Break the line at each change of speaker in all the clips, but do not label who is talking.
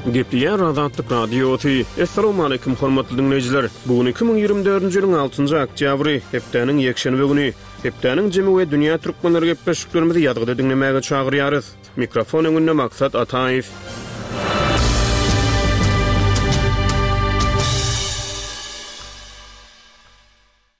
Gepleýär Azatlyk Radiosy. Assalamualaikum hormatly diňleýjiler. Bu gün 2024-nji ýylyň 6-njy oktýabry, hepdäniň ýekşenbe güni. Hepdäniň jemi we dünýä türkmenleri gepleşiklerimizi ýazgyda diňlemäge çagyrýarys. Mikrofon öňünde Maksat Ataýew.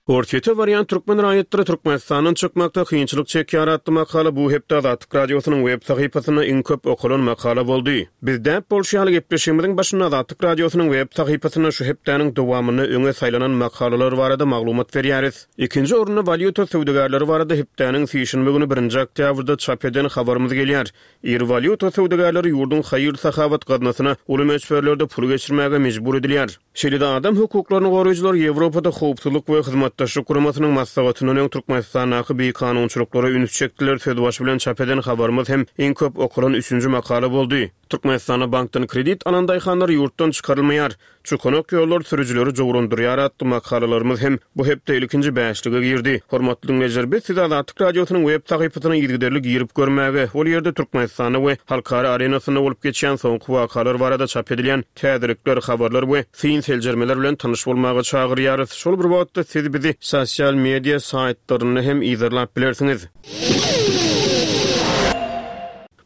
Orsýete barýan türkmen raýatlary Türkmenistandan çykmakda kynçylyk çekýär atly makala bu hepde Azatlyk Radiosynyň web sahypasynda iň köp okalan makala boldy. Biz däp bolşy ýaly gepleşigimiziň başynda Azatlyk Radiosynyň web sahypasynda şu hepdäniň dowamynda öňe saýlanan makalalar barada maglumat berýäris. Ikinji orunda walýuta söwdagärleri barada hepdäniň sişenbe güni birinji oktýabrda çap eden habarymyz gelýär. Iri walýuta söwdagärleri ýurduň haýyr-sahawat gaznasyna uly möçberlerde pul geçirmäge mejbur edilýär. Şeýle-de adam hukuklaryny goraýjylar Ýewropada Howpsuzlyk we Hyzmatdaşlyk Guramasynyň maslahatyndan öň Türkmenistandaky bikanunçylyklara üns çekdiler sözbaşy bilen çap eden habarymyz hem iň köp okalan üçünji makala boldy. Türkmenistanda bankdan kredit alan daýhanlar ýurtdan çykarylmaýar. Çukanak ýollar sürüjileri jowrandyrýar atly makalalarymyz hem bu hepde ilkinji bäşlige girdi. Hormatly diňleýjiler, biz sizi Azatlyk Radiosynyň web sahypasyna yzygiderli girip görmäge, ol ýerde Türkmenistanda we halkara arenasynda bolup geçýän soňky wakalar barada çap edilýän täzelikler, habarlar we syn-seljermeler bilen tanyş bolmaga çagyrýarys. Şol bir wagtda siz bizi sosial media saýtlarynda hem yzarlap bilersiňiz.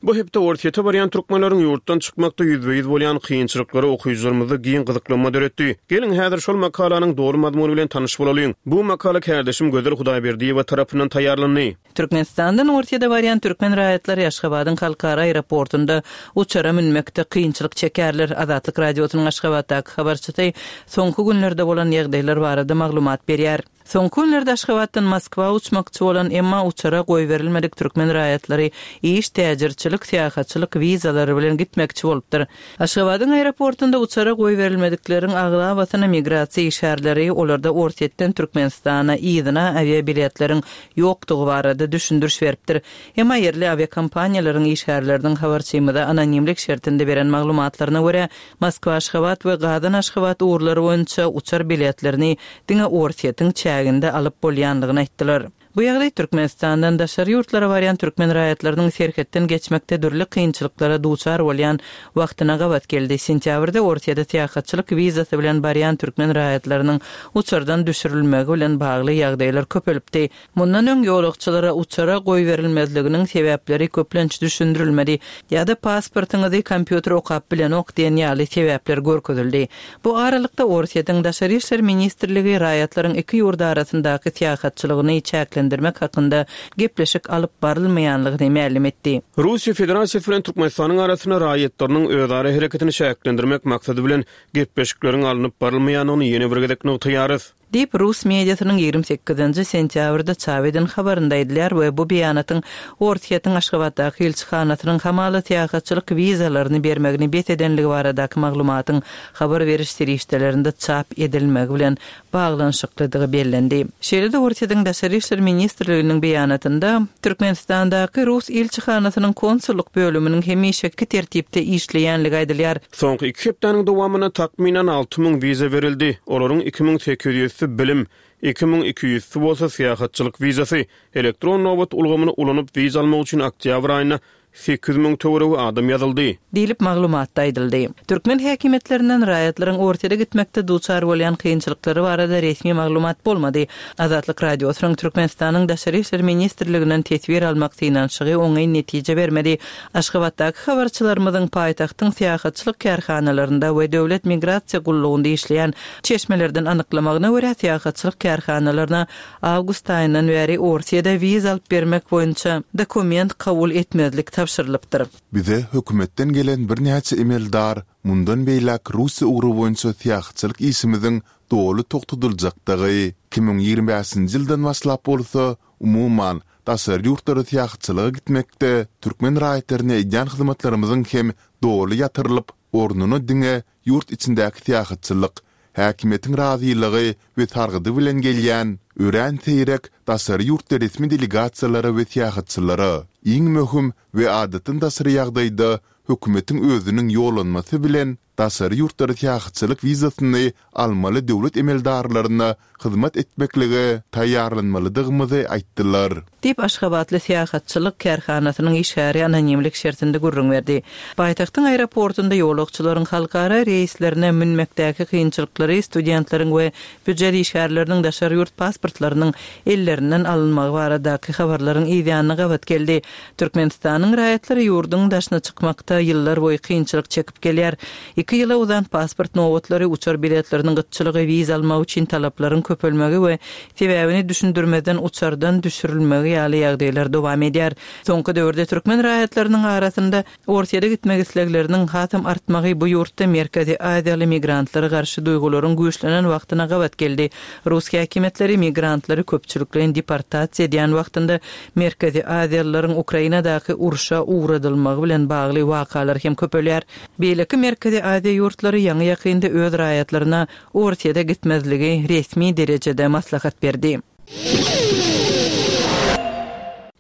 Bu hepde Orsýete barýan türkmenleriň ýurtdan çykmakda ýüzbe-ýüz bolýan kynçylyklary okyjylarymyzda giň gyzyklanma döretdi. Geliň, häzir şol makalanyň doly mazmuny bilen tanyş bolalyň. Bu makala kärdeşim Gözel Hudaýberdiýewa tarapyndan taýýarlandy.
Türkmenistandan Orsýete barýan türkmen raýatlary Aşgabadyň halkara aeroportunda uçara münmekde kynçylyk çekýärler. Azatlyk Radiosynyň Aşgabatdaky habarçysy soňky günlerde bolan ýagdaýlar barada maglumat berýär. Soňky günlerde Aşgabatdan Moskwa uçmakçy bolan, emma uçara goýberilmedik türkmen raýatlary iş, täjirçilik, syýahatçylyk wizalary bilen gitmekçi bolupdyr. Aşgabadyň aeroportunda uçara goýberilmedikleriň aglabasyna migrasiýa işgärleri olarda Orsýetden Türkmenistana yzyna awiabiletleriň ýokdugy barada düşündiriş beripdir. Emma ýerli awiakompaniýalaryň işgärleriniň habarçymyza anonimlik şertinde beren maglumatlaryna görä, Moskwa-Aşgabat we Gazan-Aşgabat ugurlary boýunça uçar biletlerini diňe Orsýetiň çäginde alyp bolýandygyny aýtdylar. Bu ýagdaý Türkmenistandan daşary ýurtlara barýan türkmen raýatlarynyň serhetden geçmekde dürli kynçylyklara duçar bolýan wagtyna gabat geldi. Sentýabrda Orsýete syýahatçylyk wizasy bilen barýan türkmen raýatlarynyň uçardan düşürilmegi bilen bagly ýagdaýlar köpelipdi. Mundan öň ýolagçylara uçara goýberilmezliginiň sebäpleri köplenç düşündirilmedi ýa-da pasportyňyzy kompýuter okap bilenok diýen ýaly sebäpler görkezildi. Bu aralykda Orsýetiň Daşary işler ministrligi raýatlaryň iki ýurt arasyndaky syýahatçylygyny çäklendirmek hakynda gepleşik alyp barylmaýanlygyny mälim etdi.
Russiýa Federasiýasy bilen Türkmenistanyň arasynda raýatlarynyň özara hereketini çäklendirmek maksady bilen gepleşikleriň alnyp barylmaýandygyny ýene bir gezek nygtaýarys.
Diýip, rus mediasynyň 28 nji sentýabrda çap eden habarynda aýdylýar we bu beýanatyň Orsýetiň Aşgabatdaky ilçihanasynyň hamala syýahatçylyk wizalaryny bermegini bes edenligi baradaky maglumatyň habar beriş serişdelerinde çap edilmegi bilen baglanyşyklydygy bellendi. Şeýle-de Orsýetiň Daşary işler ministrliginiň beýanatynda Türkmenistandaky rus ilçihanasynyň konsullyk bölüminiň hemişeki tertipde işleýänligi aýdylýar.
Soňky iki hepdäniň dowamynda takmynan 6000 wiza berildi. Olaryň 2800-si bilim, 2200-si bolsa syýahatçylyk wizasy. Elektron nobat ulgamyny ulanyp wiza almak üçin oktýabr aýynda 8000 töweregi adam ýazyldy.
Diýlip, maglumatda aýdyldy. Türkmen häkimiýetlerinden raýatlaryň Orsýete gitmekde duçar bolýan kynçylyklary barada resmi maglumat bolmady. Azatlyk Radiosynyň Türkmenistanyň Daşary işler ministrliginden teswir almak synanyşygy oňyn netije bermedi. Aşgabatdaky habarçylarymyzyň paýtagtyň syýahatçylyk kärhanalarynda we Döwlet migrasiýa gullugynda işleýän çeşmelerden anyklamagyna görä, syýahatçylyk kärhanalaryna awgust aýyndan bäri Orsýede wiza alyp bermek boýunça dokument kabul etmezlik tabşyrylypdyr.
Bize hökümetden gelen birnäçe emeldar mundan beýläk Russiýa ugry boýunça syýahatçylyk işimiziň doly togtadyljakdygy, 2025-nji ýyldan başlap bolsa, umuman, daşary ýurtlara syýahatçylyga gitmekde türkmen raýatlaryna edýän hyzmatlarymyzyň hem doly ýatyrylyp, ornuna diňe ýurt içindäki syýahatçylyk, häkimiýetiň razylygy we sargydy bilen gelýän, örän seýrek daşary ýurtly resmi delegasiýalara we syýahatçylara, iň möhüm we adatdan daşary ýagdaýda hökümetiň özüniň ýollanmasy bilen. daşary ýurtlara syýahatçylyk wizasyny almaly döwlet emeldarlaryna hyzmat etmeklige taýýarlanmalydygymyzy aýtdylar.
Diýip, aşgabatly syýahatçylyk kärhanasynyň işgäri anonimlik şertinde gürrüň berdi. Paýtagtyň aeroportunda ýolagçylaryň halkara reýslerine münmekdäki kynçylyklary studentleriň we býujet işgärleriniň daşary ýurt pasportlarynyň ellerinden alynmagy baradaky habarlaryň yzýanyna gabat geldi. Türkmenistanyň raýatlary ýurduň daşyna çykmakda ýyllarboýy kynçylyk çekip gelýär. Iki ýyla uzan pasport nobatlary, uçar biletleriniň gytçylygy, wiza almak üçin talaplaryň köpelmegi we sebäbini düşündirmezden uçardan düşürilmegi ýaly ýagdaýlar dowam edýär. Soňky döwürde türkmen raýatlarynyň arasynda Orsýete gitmek islegleriniň hasam artmagy bu ýurtda Merkezi Aziýaly migrantlara garşy duýgularyň güýçlenen wagtyna gabat geldi. Rus häkimiýetleri migrantlary köpçülikleýin deportasiýa edýän wagtynda Merkezi Aziýalylaryň Ukrainadaky urşa ugradylmagy bilen bagly wakalar hem köpelýär. Beýleki Merkezi Aziýa ýurtlary ýaňy-ýakynda öz raýatlaryna Orsýete gitmezligi resmi derejede maslahat berdi.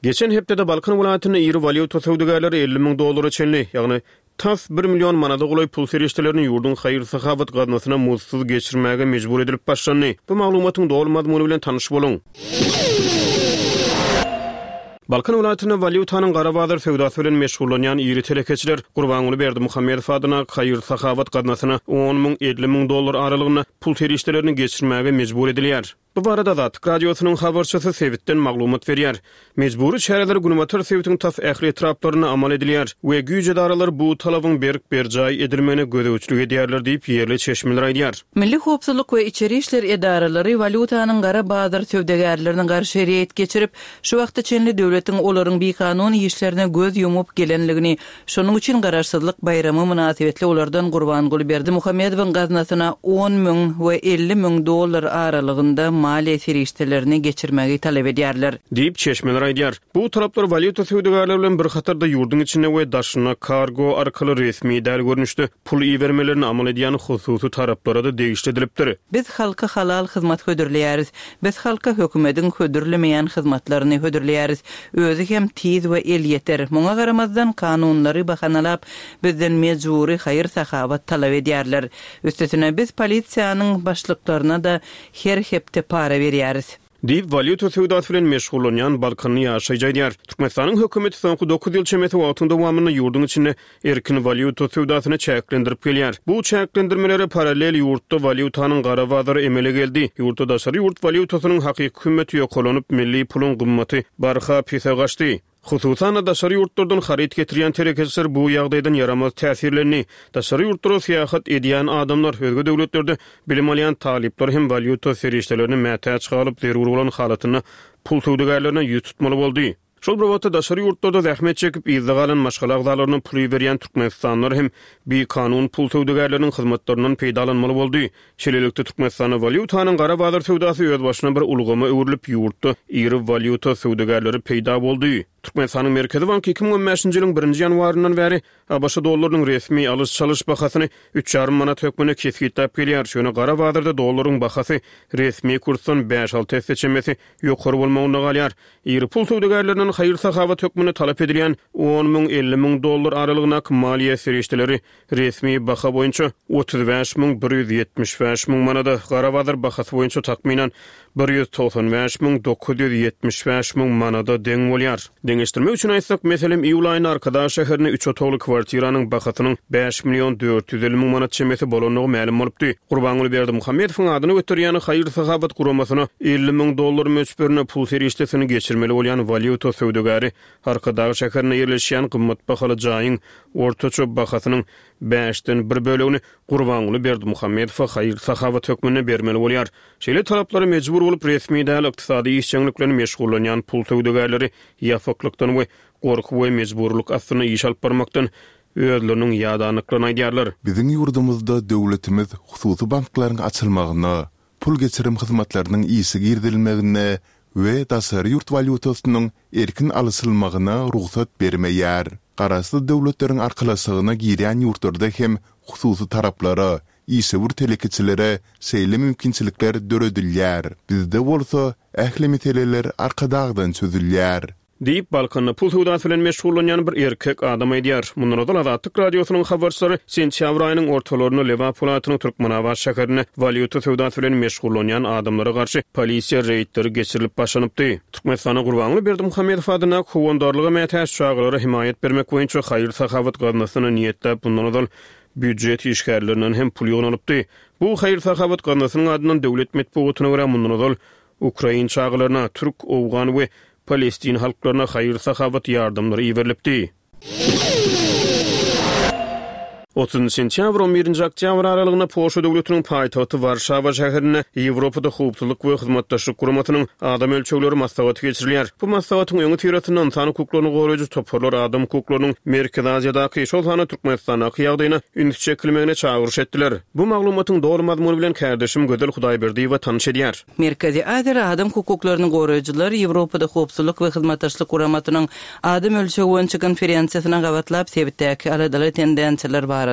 Geçen hepdede Balkan welaýatynda iri walýuta söwdagärleri 50 müň dollara çenli, ýagny tas bir million manada golaý pul serişdelerini ýurduň haýyr-sahawat gaznasyna muzdsuz geçirmäge mejbur edilip başlandy. Bu maglumatyň doly mazmuny bilen tanyş boluň. Balkan welaýatynda walýutanyň gara bazar söwdasy bilen meşgullanýan iri telekeçiler Gurbanguly Berdimuhamedow adyndaky haýyr-sahawat gaznasyna on müň, 50 müň dollar aralygynda pul serişdelerini geçirmäge mejbur edilýär. Bu barada Azatlyk Radiosynyň habarçysy sebitden maglumat berýär. Mejbury çäreler günbatar sebitiň tas ähli etraplarynda amal edilýär we güýç edaralary bu talabyň berk berjaý edilmegine gözegçilik edýärler diýip, ýerli çeşmeler aýdýar.
Milli howpsuzlyk we içeri işler edaralary walýutanyň gara bazar söwdagärlerine garşy reýd geçirip, şu wagta çenli döwletiň olaryň bikanun işlerine göz ýumup gelenligini, şonuň üçin Garaşsyzlyk baýramy mynasybetli olardan Gurbanguly Berdimuhamedowyň gaznasyna on müň we 50 müň dollar aralygynda maliýe serişdelerini geçirmegi talap edýärler.
Diýip, çeşmeler aýdýar. Bu talaplar walýuta söwdagärleri bilen bir hatarda ýurduň içinde we daşynda kargo arkaly resmi däl görnüşde pul ibermelerini amal edýän hususy taraplara-da degişli edilipdir.
Biz halka halal hyzmat hödürleýäris. Biz halka hökümediň hödürlemeýän hyzmatlaryny hödürleýäris. Özi hem tiz we elýeter. Muňa garamazdan, kanunlary bahanalap, bizden mejbury haýyr-sahawat talap edýärler. Üstesine, biz polisiýanyň başlyklaryna-da her hepde para berýäris.
Diýip, walýuta söwdasy bilen meşgullanýan balkanly ýaşaýjy aýdýar. Türkmenistanyň hökümeti soňky dokuz ýyl çemesi wagtyň dowamynda ýurduň içinde erkin walýuta söwdasyny çäklendirip gelýär. Bu çäklendirmelere parallel ýurtda walýutanyň gara bazary emele geldi. Ýurtda daşary ýurt walýutasynyň hakyky hümmeti ýokarlanyp, milli puluň gymmaty barha pese gaçdy. Hususan-da, daşary ýurtlardan haryt getirýän telekeçiler bu ýagdaýdan ýaramaz täsirlendi. Daşary ýurtlara syýahat edýän adamlar, özge döwletlerde bilim alýan talyplar hem walýuta serişdelerine mätäç galyp, zerur bolan halatynda pul söwdagärlerine ýüz tutmaly boldy. Şol bir wagtda, daşary ýurtlarda zähmet çekip, yzda galan maşgala agzalaryna pul iberýän türkmenistanlylar hem bikanun pul söwdagärleriniň hyzmatlaryndan peýdalanmaly boldy. Şeýlelikde, Türkmenistanda walýutanyň gara bazar söwdasy özbaşyna bir ulgama öwrülip, ýurtda iri walýuta söwdagärleri peýda boldy. Türkmenistanyň Merkezi banky 2015-nji ýylyň birinji ýanwaryndan bäri ABŞ dollarynyň resmi alyş-çalyş bahasyny üç ýarym manat hökmünde kesgitläp gelýär. Ýöne gara bazarda dollaryň bahasy resmi kursdan bäş-alty esse çemesi ýokary bolmagynda galýar. Iri pul söwdagärlerinden haýyr-sahawat hökmünde talap edilýän on müň, 50 müň dollar aralygyndaky maliýe serişdeleri Resmi baha boýunça 35 175 müň manada, gara bazar bahasy boýunça takmynan 195 975 müň manada deň bolýar. Deňeşdirmek üçin aýtsak, meselem, iýul aýynda Arkadag şäherinde üç otagly kwartiranyň bahasynyň bäş million 450 müň manat çemesi bolandygy mälim bolupdy. Gurbanguly Berdimuhamedowyň adyny göterýän haýyr-sahawat guramasyna 50 müň dollar möçberinde pul serişdesini geçirmeli bolýan walýuta söwdagäri Arkadag şäherinde ýerleşýän gymmat bahaly jaýyň ortaça bahasynyň bäşden bir bölegini Gurbanguly Berdimuhamedowa haýyr-sahawat hökmünde bermeli bolýar. Şeýle talaplara mejbur bolup, resmi däl ykdysady işjeňlik bilen meşgullanýan pul söwdagärleri ýapyklykdan we gorky we mejburylyk astynda iş alyp barmakdan özleriniň ýadandyklaryny aýdýarlar.
Biziň ýurdumyzda döwletimiz hususy banklaryň açylmagyna, pul geçirim hyzmatlarynyň işe girizilmegine we daşary ýurt walýutasynyň erkin alyşylmagyna rugsat bermeýär. Garaşsyz Döwletleriň Arkalaşygyna girýän ýurtlarda hem hususy taraplara, işewür telekeçilere şeýle mümkinçilikler döredilýär. Bizde bolsa ähli meseleler Arkadagdan çözülýär.
Diýip, Balkanda pul söwdasy bilen meşgullanýan bir erkek adam aýdýar. Mundan ozal Azatlyk Radiosynyň habarçylary sentýabr aýynyň ortalarynda Lebap welaýatynyň Türkmenabat şäherinde walýuta söwdasy bilen meşgullanýan adamlara garşy polisiýa reýdleri geçirilip başlanypdy. Türkmenistanda Gurbanguly Berdimuhamedow adyndaky Howandarlyga mätäç çagalara hemaýat bermek boýunça haýyr-sahawat gaznasyna niýetläp mundan ozal býujet işgärlerinden hem pul ýygnalypdy. Bu haýyr-sahawat gaznasynyň adyndan döwlet metbugatyna görä mundan ozal Ukrain çagalaryna, türk, owgan we palestin halklaryna haýyr-sahawat ýardamlary iberilipdi. Otuzynjy sentýabr, on birinji oktýabr aralygynda Polşa döwletiniň paýtagty Warşawa şäherinde Ýewropada Howpsuzlyk we Hyzmatdaşlyk Guramasynyň Adam ölçegleri maslahaty geçirilýär. Bu maslahatyň öňüsyrasynda ynsan hukuklaryny goraýjy toparlar adam hukuklarynyň Merkezi Aziýadaky, şol sanda Türkmenistandaky ýagdaýyna üns çekilmegine çagyryş etdiler. Bu maglumatyň doly mazmuny bilen kärdeşim Gözel Hudaýberdiýewa tanyş edýär.
Merkezi Aziýada adam hukuklaryny goraýjylar Ýewropada Howpsuzlyk we Hyzmatdaşlyk Guramasynyň Adam ölçegi boýunça konferensiýasyna gabatlap sebitdäki aladaly tendensiýalar barada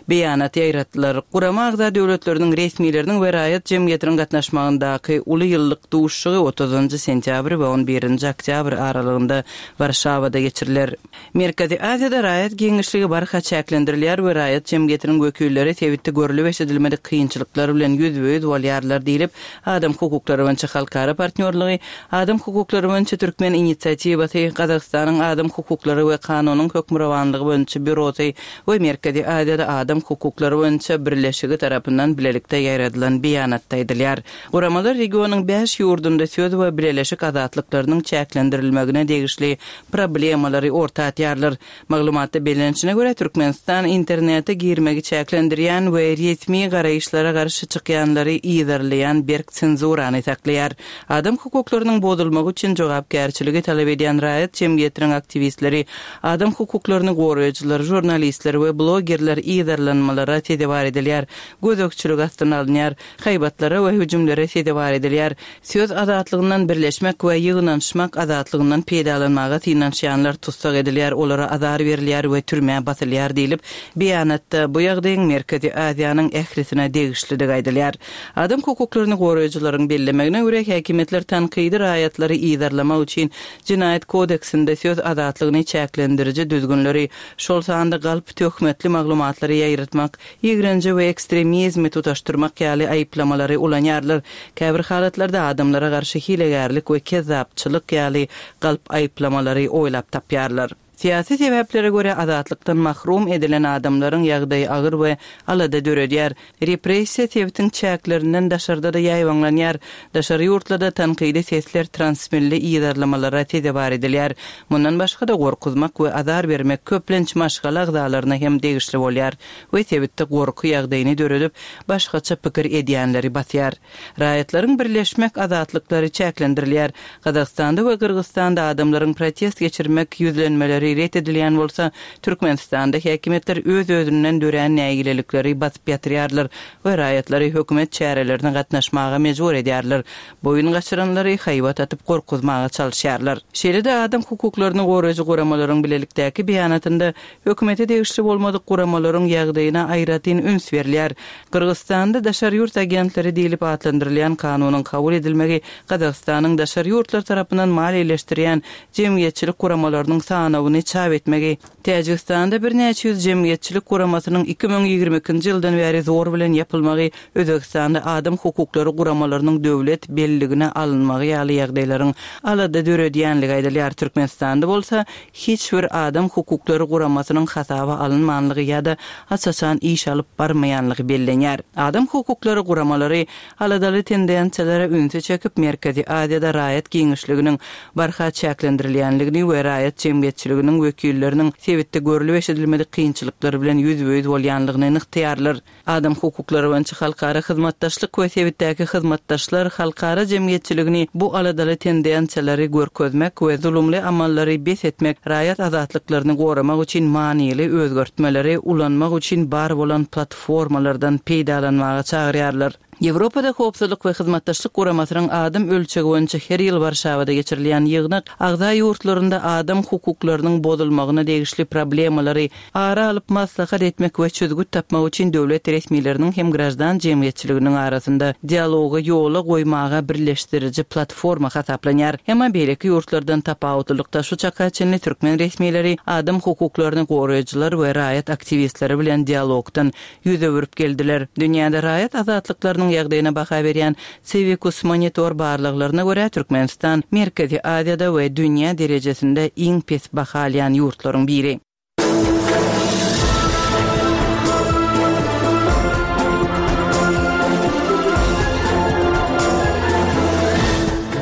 beýanat ýaýratdylar. Gurama agza döwletleriniň resmileriniň we raýat jemgyýetiniň gatnaşmagyndaky uly ýyllyk duşuşygy otuzynjy sentýabr we on birinji oktýabr aralygynda Warşawada geçiriler. Merkezi Aziýada raýat giňişligi barha çäklendirilýär we raýat jemgyýetiniň wekilleri sebitde görlüp-eşidilmedik kynçylyklar bilen ýüzbe-ýüz bolýarlar diýlip, Adam hukuklary boýunça halkara partnýorlygy, Adam hukuklary boýunça türkmen inisiatiwasy, Gazagystanyň Adam hukuklary we kanunyň hökmürowanlygy boýunça býurosy we Merkezi Aziýada Adam hukuklary boýunça birleşigi tarapyndan bilelikde ýaýradylan beýanatda aýdylýar. Guramalar regionyň bäş ýurdunda söz we bileleşik azatlyklarynyň çäklendirilmegine degişli problemalary orta atýarlar. Maglumatda bellenişine görä, Türkmenistan internete girmegi çäklendirýän we resmi garaýyşlara garşy çykýanlary yzarlaýan berk senzurany saklaýar. Adam hukuklarynyň bozulmagy üçin jogapkärçiligi talap edýän raýat jemgyýetiniň aktiwistleri, adam hukuklaryny goraýjylar, žurnalistler we blogerler yzarlanmalara sezewar edilýär, gözegçilik astyna alynýar, haýbatlara we hüjümlere sezewar edilýär. Söz azatlygyndan, birleşmek we ýygnanyşmak azatlygyndan peýdalanmaga synanyşýanlar tussag edilýär, olara azar berilýär we türmä basylýar diýlip, beýanatda bu ýagdaýyň Merkezi Aziýanyň ählisine degişlidigi aýdylýar. Adam hukuklaryny goraýjylaryň bellemegine görä, häkimiýetler tankydy raýatlary yzarlamak üçin Jenaýat kodeksinde söz azatlygyny çäklendiriji düzgünleri, şol sanda galp töhmetli maglumatlary ýaýratmak, ýigrenji we ekstremizmi tutaşdyrmak ýaly aýyplamalary ulanýarlar. Käbir halatlarda adamlara garşy hilegärlik we kezzapçylyk ýaly galp aýyplamalary oýlap tapýarlar. Syýasy sebäplere görä azatlykdan mahrum edilen adamlaryň ýagdaýy agyr we alada döredýär. Repressiýa sebitiň çäklerinden daşarda-da ýaýbaňlanýar. Daşary ýurtlarda tankydy sesler transmilli yzarlamalara sezewar edilýär. Mundan başga-da gorkuzmak we azar bermek köplenç maşgala agzalaryna hem degişli bolýar we sebitde gorky ýagdaýyny döredip, başgaça pikir edýänleri basýar. Raýatlaryň birleşmek azatlyklary çäklendirilýär. Gazagystanda we Gyrgyzystanda adamlaryň protest geçirmek ýüzlenmeleri ret edilýän bolsa, Türkmenistanda häkimiýetler öz-özünden dörän nägilelikleri basyp ýatyrýarlar we raýatlary hökümet çärelerine gatnaşmaga mejbur edýärler, boýun gaçyranlary haýbat atyp gorkuzmaga çalyşýarlar. Şeýle-de adam hukuklaryny goraýjy guramalaryň bilelikdäki beýanatynda hökümete degişli bolmadyk guramalaryň ýagdaýyna aýratyn üns berilýär. Gyrgyzystanda daşary ýurt agentleri diýlip atlandyrylýan kanunyň kabul edilmegi Gazagystanyň daşary ýurtlar tarapyndan maliýeleşdirýän jemgyýetçilik guramalarynyň sanawyny çap etmegi, Täjigistanda birnäçe ýüz jemgyýetçilik guramasynyň 2022-nji ýyldan bäri zor bilen ýapylmagy, Özbegistanda adam hukuklary guramalarynyň döwlet belligine alynmagy ýaly ýagdaýlaryň alada döredýänligi aýdylýar. Türkmenistanda bolsa hiç bir adam hukuklary guramasynyň hasaba alynmanlygy ýa-da aç-açan iş alyp barmaýanlygy bellenýär. Adam hukuklary guramalary aladaly tendensiýalara ünsi çekip, Merkezi Aziýada raýat giňişliginiň barha çäklendirilýänligini we raýat jemgyýetçiliginiň wekilleriniň sebitde görlüp-eşidilmedik kynçylyklar bilen ýüzbe-ýüz bolýanlygyny nygtaýarlar. Adam hukuklary boýunça halkara hyzmatdaşlyk we sebitdäki hyzmatdaşlar halkara jemgyýetçiligini bu aladaly tendensiýalary görkezmek we zulumly amallary bes etmek, raýat azatlyklaryny goramak üçin manyly özgertmeleri ulanmak üçin bar bolan platformalardan peýdalanmaga çagyrýarlar. Ýewropada Howpsuzlyk we Hyzmatdaşlyk Guramasynyň adam ölçegi boýunça her ýyl Warşawada geçirilýän ýygnak agza ýurtlarynda adam hukuklarynyň bozulmagyna degişli problemalary ara alyp maslahat etmek we çözgüt tapmak üçin döwlet resmileriniň hem graždan jemgyýetçiliginiň arasynda dialogy ýola goýmaga birleşdiriji platforma hasaplanýar. Emma beýleki ýurtlardan tapawutlylykda şu çaka çenli türkmen resmileri adam hukuklaryny goraýjylar we raýat aktiwistleri bilen dialogdan ýüz öwürip geldiler. Dünýäde raýat azatlyklarynyň ýagdaýyna baha berýän Civicus Monitor barlaglaryna görä, Türkmenistan Merkezi Aziýada we dünýä derejesinde iň pes baha alýan ýurtlaryň biri.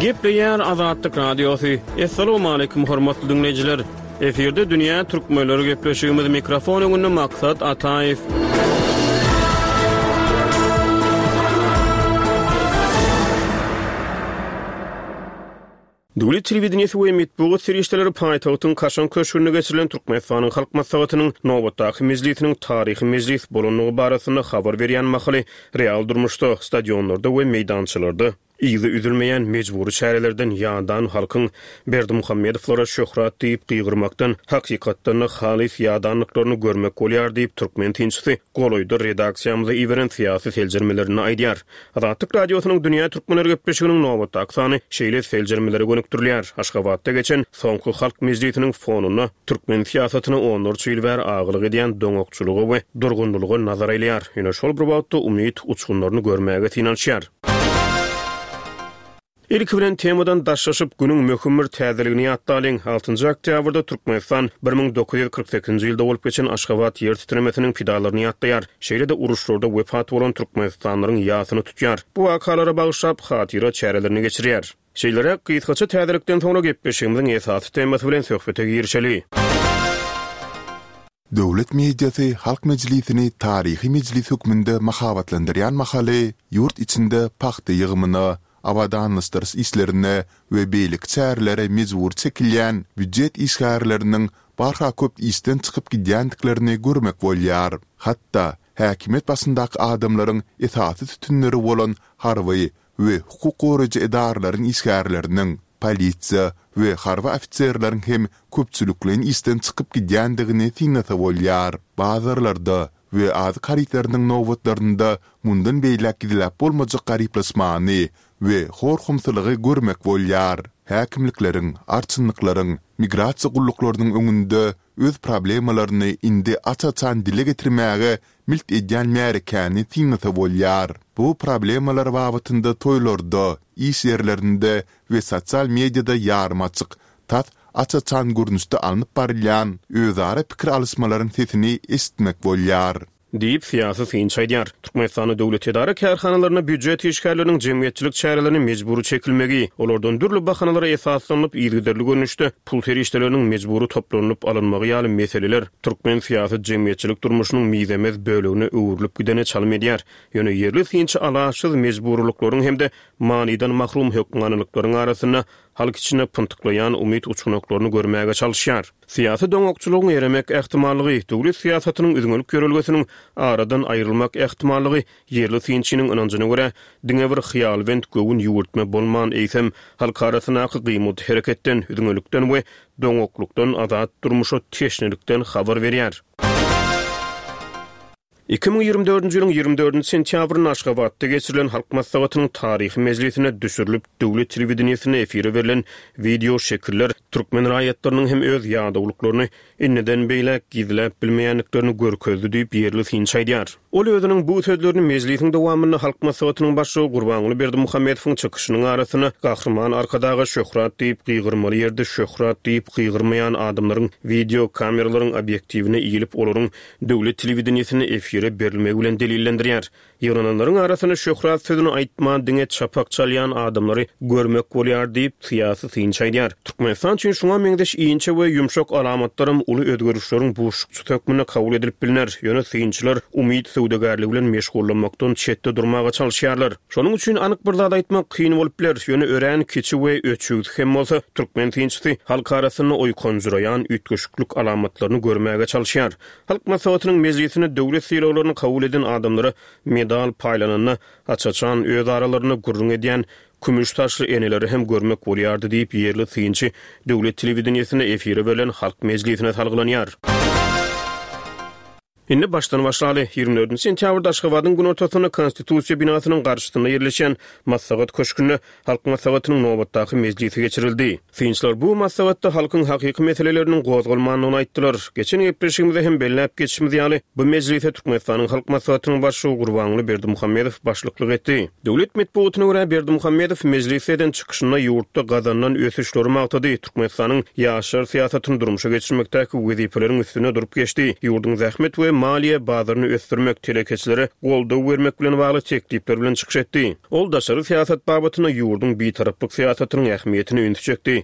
Gepleýär Azatlyk Radiosy. Assalamualaikum hormatly diňleýjiler. Efirde dünýä türkmenleri gepleşigimiz mikrofon öňünde Maksat Ataýew. Döwlet telewideniýesi we metbugat serişdeleri paýtagtyň Kaşaň köşgünde geçirilen Türkmenistanyň Halk Maslahatynyň nobatdaky mejlisiniň taryhy mejlis bolandygy barasynda habar berýän mahaly real durmuşda, stadionlarda we meýdançalarda, Yzy üzülmeýän mejbury çärelerden ýadan halkyň Berdimuhamedowlara şöhrat diýip gygyrmakdan hakykatdan-da halys ýadandyklaryny görmek bolýar diýip, türkmen synçysy golaýda redaksiýamyza iberen syýasy seljermelerinde aýdýar. Azatlyk Radiosynyň Dünýä türkmenleri gepleşiginiň nobatdaky sany şeýle seljermelere gönükdirilýär. Aşgabatda geçen soňky Halk mejlisiniň fonunda türkmen syýasatyna onlarça ýyl bäri agalyk edýän doňakçylyga we durgunlylyga nazar aýlaýar. Ýöne şol bir wagtda umyt uçgunlaryny görmäge synanyşýar. Ilki bilen temadan daşlaşyp, günüň möhüm bir täzeligini ýatlalyň. Altynjy oktýabrda Türkmenistan 1948-nji ýylda bolup geçen Aşgabat ýer titremesiniň pidalaryny ýatlaýar. Şeýle-de uruşlarda wepat bolan türkmenistanlylaryň ýasyny tutýar. Bu wakalara bagyşlap, hatyra çärelerini geçirýär. Şeýleräk gysgaça täzelikden soňra gepleşigimiziň esasy temasy bilen söhbete girişeli.
Döwlet mediasy Halk Mejlisini taryhy mejlis hökmünde mahabatlandyrýan mahaly, ýurt içinde pagta ýygymyna, abadanlaşdyryş işlerine we beýleki çärelere mejbury çekilýän býujet işgärleriniň barha köp işden çykyp gidýändiklerini görmek bolýar. Hatda, häkimiýet başyndaky adamlaryň esasy sütünleri bolan harby we hukuk goraýjy edaralaryň işgärleriniň, polisiýa we harby ofiserleriň hem köpçülikleýin işden çykyp gidýändigini synlasa bolýar. Bazarlarda we azyk harytlarynyň nobatlarynda mundan beýläk gizläp bolmajak garyplaşmany we hor-homsylygy görmek bolýar. Häkimlikleriň, arçynlyklaryň, migrasiýa gulluklarynyň öňünde öz problemalaryny indi aç-açan dile getirmäge milt edýän märekäni synlasa bolýar. Bu problemalar babatynda toýlarda, iş ýerlerinde we sosial mediada ýarym açyk, tas aç-açan görnüşde alnyp barylýan özara pikir alyşmalaryň sesini eşitmek bolýar.
Diýip, syýasy synçy aýdýar. Türkmenistanda döwlet edara-kärhanalarynda býujet işgärleriniň jemgyýetçilik çärelerine mejbury çekilmegi, olardan dürli bahanalara esaslanylyp yzygiderli görnüşde pul serişdeleriniň mejbury toplanylyp alynmagy ýaly meseleler türkmen syýasy-jemgyýetçilik durmuşynyň mizemez bölegine öwrülip gidene çalym edýär. Ýöne ýerli synçy alaçsyz mejburylyklaryň hem-de manydan mahrum hökmanylyklaryň arasynda halk içinde pyntyklaýan umyt uçganaklaryny görmäge çalyşýar. Syýasy doňakçylygyň eremek ähtimallygy, döwlet syýasatynyň üzňelik ýörelgesiniň aradan aýrylmak ähtimallygy ýerli synçynyň ynanjyna görä, diňe bir hyýalbent göwün ýüwürtme bolman, eýsem, halk arasyndaky gymyldy-hereketden, üzňelikden we doňaklykdan azat durmuşa teşnelikden habar berýär. 2024-nji ýylyň 24-nji sentýabrynda Aşgabatda geçirilen Halk Maslahatynyň taryhy mejlisinde düşürilip, döwlet telewideniýesinde efire berlen wideo şekiller türkmen raýatlarynyň hem öz ýadawlyklaryny indiden beýläk gizläp bilmeýändiklerini görkezdi diýip, ýerli synçy aýdýar. Ol özüniň bu sözlerini mejlisiň dowamynda Halk Maslahatynyň Başlygy Gurbanguly Berdimuhamedowyň çykyşynyň arasynda Gahryman Arkadaga şöhrat diýip gygyrmaly ýerde şöhrat diýip gygyrmaýan adamlaryň wideo kameralaryň obýektiwine iýlip, olaryň döwlet telewideniýesinde efire berilmegi bilen delillendirýär. Ýygnananlaryň arasynda şöhrat sözüni aýtman, diňe çapak çalýan adamlary görmek bolýar diýip, syýasy synçy aýdýar. Türkmenistan üçin şuňa meňzeş inçe we ýumşak alamatlaram uly özgerişleriň buşlukçysy hökmünde kabul edilip bilner. Ýöne synçylar umyt söwdagärligi bilen meşgullanmakdan çetde durmaga çalyşýarlar. Şonuň üçin anyk bir zat aýtmak kyn bolup biler, ýöne örän kiçi we öçügsi hem bolsa, türkmen synçysy halk arasynda oýkanjyraýan üýtgeşiklik alamatlaryny görmäge çalyşýar. Halk Maslahatynyň mejlisinde döwlet sylagly. sylaglaryny kabul eden adamlara medal paýlananda aç-açan öz aralarynda gürrüň edýän kümüş saçly eneleri hem görmek bolýardy diýip, ýerli synçy döwlet telewideniýesinde efire berlen Halk mejlisine salgylanýar. Indi başdan başlaly. 24 sentýabrda Aşgabadyň günortasynda Konstitusiýa binasynyň garşysynda ýerleşýän Maslahat köşgünde Halk Maslahatynyň nobatdaky mejlisi geçirildi. Synçylar bu maslahatda halkyň hakyky meseleleriniň gozgalmandygyny aýtdylar. Geçen gepleşigimizde hem belläp geçişimiz ýaly, bu mejlise Türkmenistanyň Halk Maslahatynyň Başlygy Gurbanguly Berdimuhamedow başlyklyk etdi. Döwlet metbugatyna görä, Berdimuhamedow mejlisde eden çykyşynda ýurtda gazanylan ösüşleri magtady, Türkmenistanyň ýaşlar syýasatyny durmuşa geçirmekdäki wezipeleriň üstünde durup geçdi, ýurduň zähmet we maliýe bazaryny ösdürmek, telekeçilere goldaw bermek bilen bagly teklipler bilen çykyş etdi. Ol daşary syýasat babatynda ýurduň bitaraplyk syýasatynyň ähmiýetine ünsi çekdi.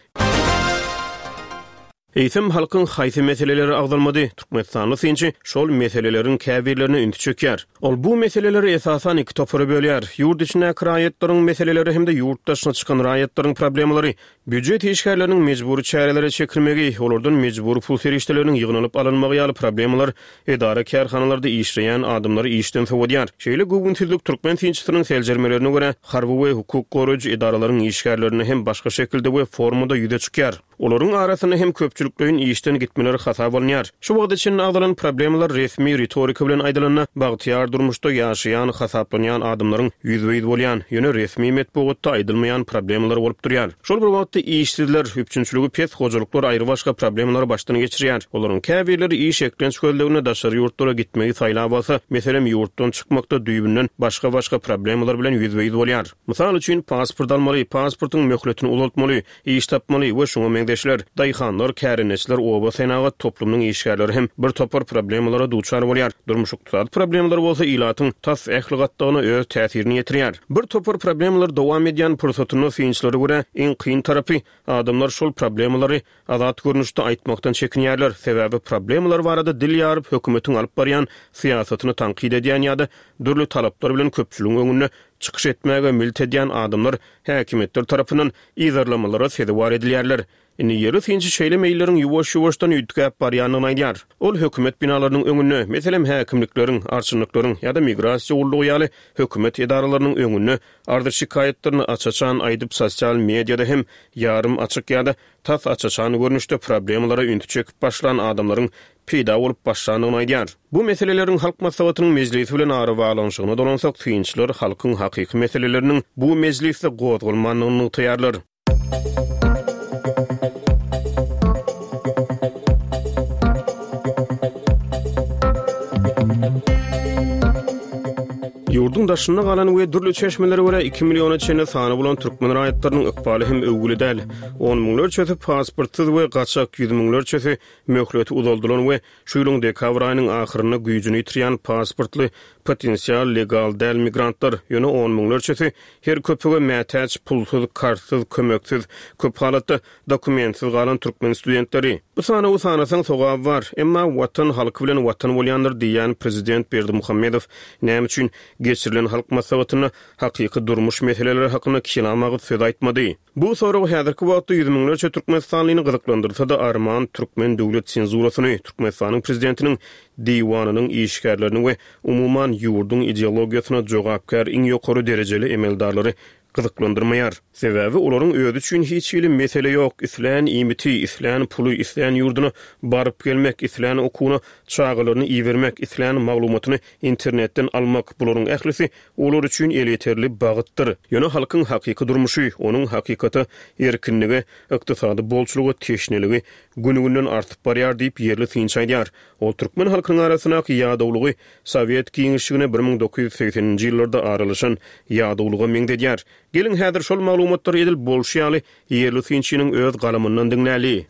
Eýsem, halkyň haýsy meseleleri agzalmady? Türkmenistanly synçy şol meseleleriň käbirlerine ünsi çekýär. Ol bu meseleleri esasan iki topara bölýär, ýurt içindäki raýatlaryň meseleleri hem-de ýurt daşyna çykan raýatlaryň problemalary. Býujet işgärleriniň mejbury çärelere çekilmegi, olardan mejbury pul serişdeleriniň ýygnalyp alynmagy ýaly problemalar edara-kärhanalarda işleýän adamlary işden sowadýar. Şeýle göwünsizlik türkmen synçysynyň seljermelerine görä, harby we hukuk goraýjy edaralaryň işgärlerinde hem başga şekilde we formada ýüze çykýar. Olaryň arasynda hem köpçülikleýin işden gitmeler hasaba alynýar. Şu wagta çenli agzalan problemalar resmi ritorika bilen aýdylanda, bagtyýar durmuşda ýaşaýan hasaplanýan adamlaryň ýüzbe-ýüz bolýan, ýöne resmi metbugatda aýdylmaýan problemalary bolup durýar. Şol bir wagtda işsizler, üpjünçiligi pes hojalyklar aýrybaşga problemalary başdan geçirýär. Olaryň käbirleri iş eklenç gözleginde daşary ýurtlara gitmegi saýlap alsa, meselem, ýurtdan çykmakda düýbünden başga-başga problemalar bilen ýüzbe-ýüz bolýar. Mysal üçin, pasport almaly, pasportyň möhletini uzaltmaly, iş tapmaly we şuňa meňzeşler. Daýhanlar, kärendeçiler, oba senagat toplumynyň işgärleri hem bir topar problemalara duçar bolýar. Durmuş-ykdysady problemalar bolsa ilatyň tas ähli gatlagyna öz täsirini ýetirýär. Bir topar problemalar dowam edýän pursatynda synçylara görä, iň kyn tarapy, adamlar şol problemalary azat görnüşde aýtmakdan çekinýärler. Sebäbi problemalar barada dil ýaryp hökümetiň alyp barýan syýasatyny tankyt edýän ýa-da dürli talaplar bilen köpçüligiň öňünde çykyş etmäge milt edýän adamlar häkimiýetler tarapyndan yzarlamalara sezewar edilýärler. Indi ýerli synçy şeýle meýilleriň ýuwaş-ýuwaşdan üýtgäp barýandygyny aýdýar. Ol hökümet binalarynyň öňünde, meselem, häkimlikleriň, arçynlyklaryň ýa-da migrasiýa gullugy ýaly hökümet edaralarynyň öňünde arz-şikaýatlaryny aç-açan aýdyp, sosial mediada hem ýarym açyk ýa-da tas aç-açan görnüşde problemalara ünsi çekip başlan adamlaryň peýda bolup başlandygyny aýdýar. Bu meseleleriň Halk Maslahatynyň mejlisi bilen arabaglanyşygyna dolansak, synçylar halkyň hakyky meseleleriniň bu mejlisde gozgalmandygyny nygtaýarlar. Ýurduň daşynda galan we dürli çeşmelere görä iki milliona çenli sany bolan türkmen raýatlarynyň ykbaly hem öwgüli däl. On müňlerçesi pasportsyz we gaçak, ýüz müňlerçesi möhleti uzaldylan we şu ýylyň dekabr aýynyň ahyrynda güýjüni ýitirýän pasportly potensial legal däl migrantlar, ýöne on müňlerçesi her köpege mätäç, pulsuz, kartsyz, kömeksiz, köp halatda dokumentsiz galan türkmen studentleri. Bu sanawy sanasaň sogaby bar, emma Watan halky bilen Watan bolýandyr diýýän prezident Berdimuhamedow näme üçin geçirilen Halk Maslahatynda hakyky durmuş meseleleri hakynda kelam agyz söz aýtmady? Bu sorag häzirki wagtda ýüz müňlerçe türkmenistanlyny gyzyklandyrsa-da, arman türkmen döwlet senzurasyny, Türkmenistanyň prezidentiniň diwanynyň işgärlerini we umuman ýurduň ideologiýasyna jogapkär iň ýokary derejeli emeldarlary gyzyklandyrmaýar. Sebäbi olaryň özi üçin hiç hili mesele ýok, islän iýmiti, islän puly, islän ýurduna baryp gelmek, islän okuwyna çagalaryny ibermek, islän maglumatyny internetden almak, bularyň ählisi olar üçin elýeterli bagytdyr. Ýöne halkyň hakyky durmuşy, onuň hakykata, erkinlige, ykdysady bolçulyga teşneligi gün-günden artyp barýar diýip, ýerli synçy aýdýar. Ol türkmen halkynyň arasyndaky ýadawlygy sowet giňişligine 1980-nji ýyllarda aralaşan ýadawlyga meňzedýär. Geliň, häzir şol maglumatlary edil bolşy ýaly ýerli synçynyň öz galamyndan diňläli.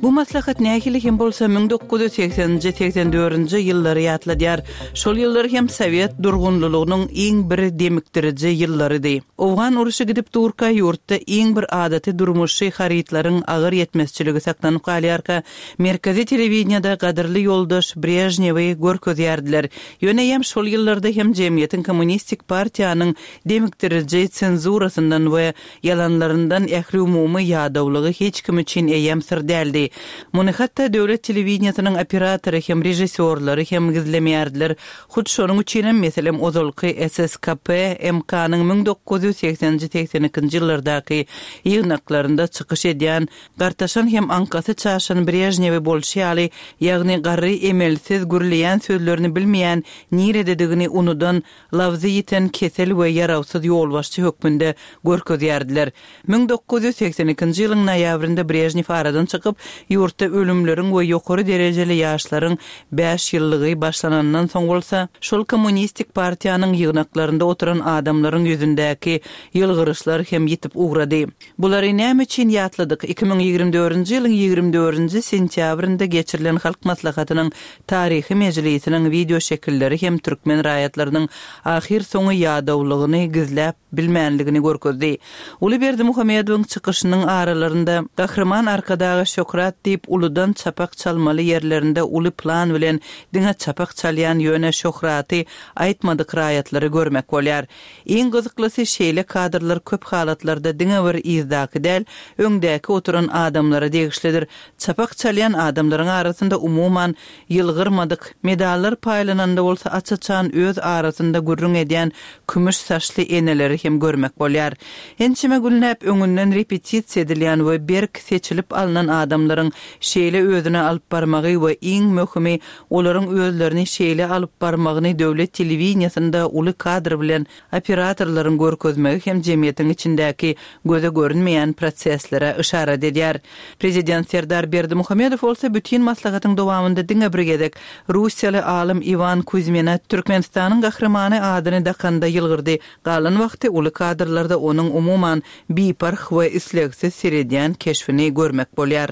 Bu. maslahat nähili hem bolsa 1980-nji, 84-nji ýyllary ýatladýar. Şol ýyllar hem sowet durgunlylygynyň iň bir demikdiriji ýyllarydy. Owgan urşy gidip durka, ýurtda iň bir adaty durmuşy harytlaryň agyr ýetmezçiligi saklanyp galýarka, merkezi telewideniýede gadyrly ýoldaş Brežnewi görkezýärdiler. Ýöne eýýäm şol ýyllarda hem jemgyýetiň kommunistik partiýanyň demikdiriji senzurasyndan we Ýalanlaryndan ähliumumy ýadawlygy hiç kim üçin eýýäm syr däldi. Muny hatda döwlet telewideniýesiniň operatory hem, režissýorlary hem gizlemeýärdiler. Hut şonuň üçinem, meselem, ozalky SSKP MK-nyň 1980-nji, 82-nji ýyllardaky ýygnaklarynda çykyş edýän gartaşan hem aňkasy çaşan Brežnewi bolşy ýaly, ýagny garry emelsiz, gürleýän sözlerini bilmeýän, nirededigini unudan labzy ýiten kesel we ýarawsyz ýolbaşçy hökmünde görkezýärdiler. 1982-nji ýylyň noýabrynda Brežnew aradan çykyp, ýurtda ölümleriň we ýokary derejeli ýaşlaryň bäş ýyllygy başlanandan soň bolsa, şol kommunistik partiýanyň ýygnaklarynda oturan adamlaryň ýüzündäki ýylgyryşlar hem ýitip ugrady. Bulary näme üçin ýatladyk? 2024-nji ýylyň 24-nji sentýabrynda geçirilen Halk Maslahatynyň Taryhy mejlisiniň wideoşekilleri hem türkmen raýatlarynyň ahyrsoňy ýadawlygyny gizläp bilmänligini görkezdi. Uly Berdimuhamedowyň çykyşynyň aralarynda Gahryman Arkadaga şöhrat diýip uludan çapak çalmaly ýerlerinde uly plan bilen diňe çapak çalýan ýöne şöhraty aýtmadyk raýatlary görmek bolýar. Iň gyzyklysy şeýle kadrlar köp halatlarda diňe bir yzdaky däl, öňdäki oturan adamlara degişlidir. Çapak çalýan adamlaryň arasynda umuman ýylgyrmadyk, medallar paýlananda bolsa aç-açan öz arasynda gürrüň edýän kümüş saçly eneleri hem görmek bolýar. Ençeme günläp öňünden repetisiýa edilýän we berk seçilip alnan adamlaryň şeýle özüni alyp barmagy we iň möhümi olaryň özlerini şeýle alyp barmagyny döwlet telewideniýesinde uly kadr bilen Operatorlaryň görkezmegi hem jemgyýetiň içindäki göze görünmeýän proseslere yşarat edýär. Prezident Serdar Berdimuhamedow bolsa bütin maslahatyň dowamynda diňe bir gezek russiýaly alym Iwan Kuzmine Türkmenistanyň Gahrymany adyny dakanda ýylgyrdy, galan wagty uly kadrlarda onuň umuman biparh we islegsiz seredýän keşbini görmek bolýar.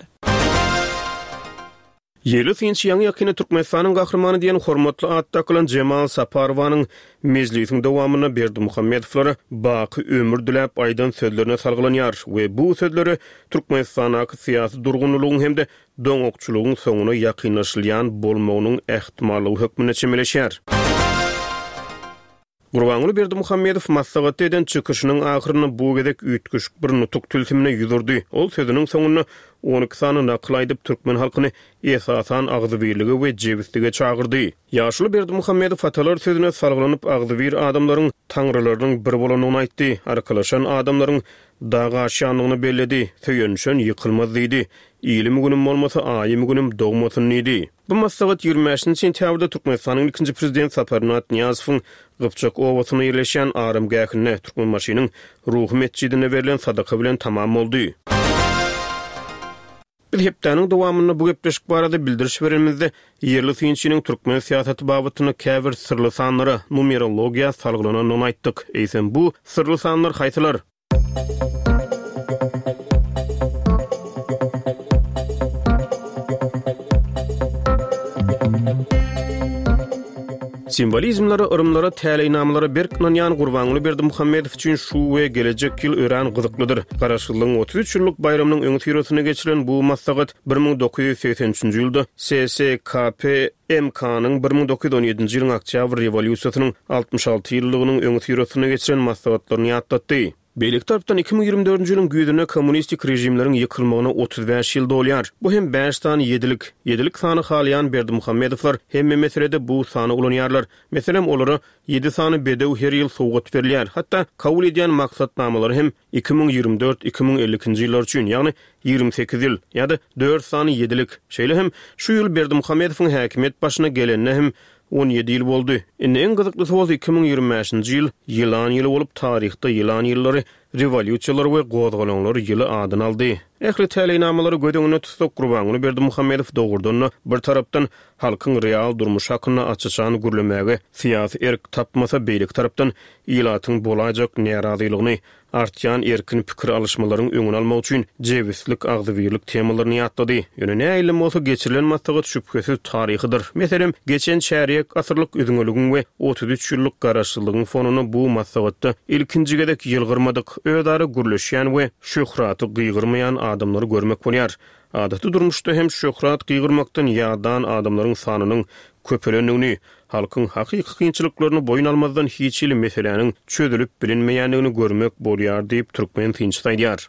Ýerli synçy ýaňy-ýakynda Türkmenistanyň Gahrymany diýen hormatly at dakylan Jemal Saparowanyň mejlisiň dowamynda Berdimuhamedowlara baky ömür diläp aýdan sözlerine salgylanýar we bu sözlere Türkmenistandaky syýasy durgunlylygyň hem-de doňakçylygyň soňuna ýakynlaşylýan bolmagynyň ähtimallygy hökmünde çemeleşýär. Gurbanguly Berdimuhamedow maslahatda eden çykyşynyň ahyrynda bu gezek üýtgeşik bir nutuk tilsimine ýüz urdy. Ol sözüniň soňunda 12 sany nakyl aýdyp, türkmen halkyny esasan agzybirlige we jebislige çagyrdy. Ýaşuly Berdimuhamedow atalar sözüne salgylanyp, agzybir adamlaryň taňrylarynyň bir bolandygyny aýtdy, arkalaşan adamlaryň dag aşýandygyny belledi, söýenişen ýykylmaz diýdi, ilim-günüm bolmasa, aýym-günüm dogmasyn diýdi. Bu maslahat 25-nji sentýabrda Türkmenistanyň ilkinji Prezidenti Saparmyrat Nyýazowyň Gypjak obasynda ýerleşýän aramgähinde, Türkmenbaşynyň Ruhy metjidinde berlen sadaka bilen tamam boldy. Biz hepdäniň dowamynda bu gepleşik barada bildiriş berenimizde, ýerli synçynyň türkmen syýasaty babatynda käbir syrly sanlara, numerologiýa salgylanandygyny aýtdyk. Eýsem, bu syrly sanlar haýsylar? Simwolizmlere, yrymlara, täleýnamalara berk ynanýan Gurbanguly Berdimuhamedow üçin şu we gelejek ýyl örän gyzyklydyr. Garaşsyzlygyň 33 ýyllyk baýramynyň öňüsyrasynda geçirilen bu maslahat 1983-nji ýylda SSKP MK-nyň 1917-nji ýylyň Oktýabr rewolýusiýasynyň 66 ýyllygynyň öňüsyrasynda geçiren maslahatlaryny ýatlatdy. Beýleki tarapdan, 2024-nji ýylyň güýzünde kommunistik režimleriň ýykylmagyna 35 ýyl dolýar. Bu hem bäş sany ýedilik. Ýedilik sany halaýan Berdimuhamedowlar hemme meselede bu sany ulanýarlar. Meselem, olara ýedi sany bedew her ýyl sowgat berilýär. Hatda kabul edýän maksatnamalary hem 2024, 2052-nji ýyllar üçin, ýagny 28 ýyl, ýa-da dört sany ýedilik. Şeýle hem, şu ýyl Berdimuhamedowyň häkimiýet başyna gelenine hem 17 ýyl boldy. Indi iň gyzyklysy bolsa 2025-nji ýyl ýylan ýyly bolup, taryhda ýylan ýyllary. Rewolýusiýalar we gozgalaňlar ýyly adyny aldy. Ähli täleýnamalary göz öňünde tutsak, Gurbanguly Berdimuhamedow dogrudan-da, bir tarapdan, halkyň real durmuşy hakynda aç-açan gürlemäge syýasy erk tapmasa, beýleki tarapdan, ilatyň bolaýjak närazylygyny, artýan erkin pikir alyşmalaryň öňüni almak üçin jebislik, agzybirlik temalaryny ýatlady. Ýöne nähilem bolsa geçirilen maslahat şübhesiz taryhydyr. Meselem, geçen çärýek asyrlyk üzňeligiň we 33 ýyllyk garaşsyzlygyň fonunda bu maslahatda ilkinji gezek ýylgyrmadyk, özara gürleşýän we şöhraty gygyrmaýan adamlary görmek bolýar. Adaty durmuşda hem şöhrat gygyrmakdan ýadan adamlaryň sanynyň köpelendigini, halkyň hakyky kynçylyklaryny boýun almazdan hiç hili meseläniň çözülip bilinmeýändigini görmek bolýar diýip, türkmen synçysy aýdýar.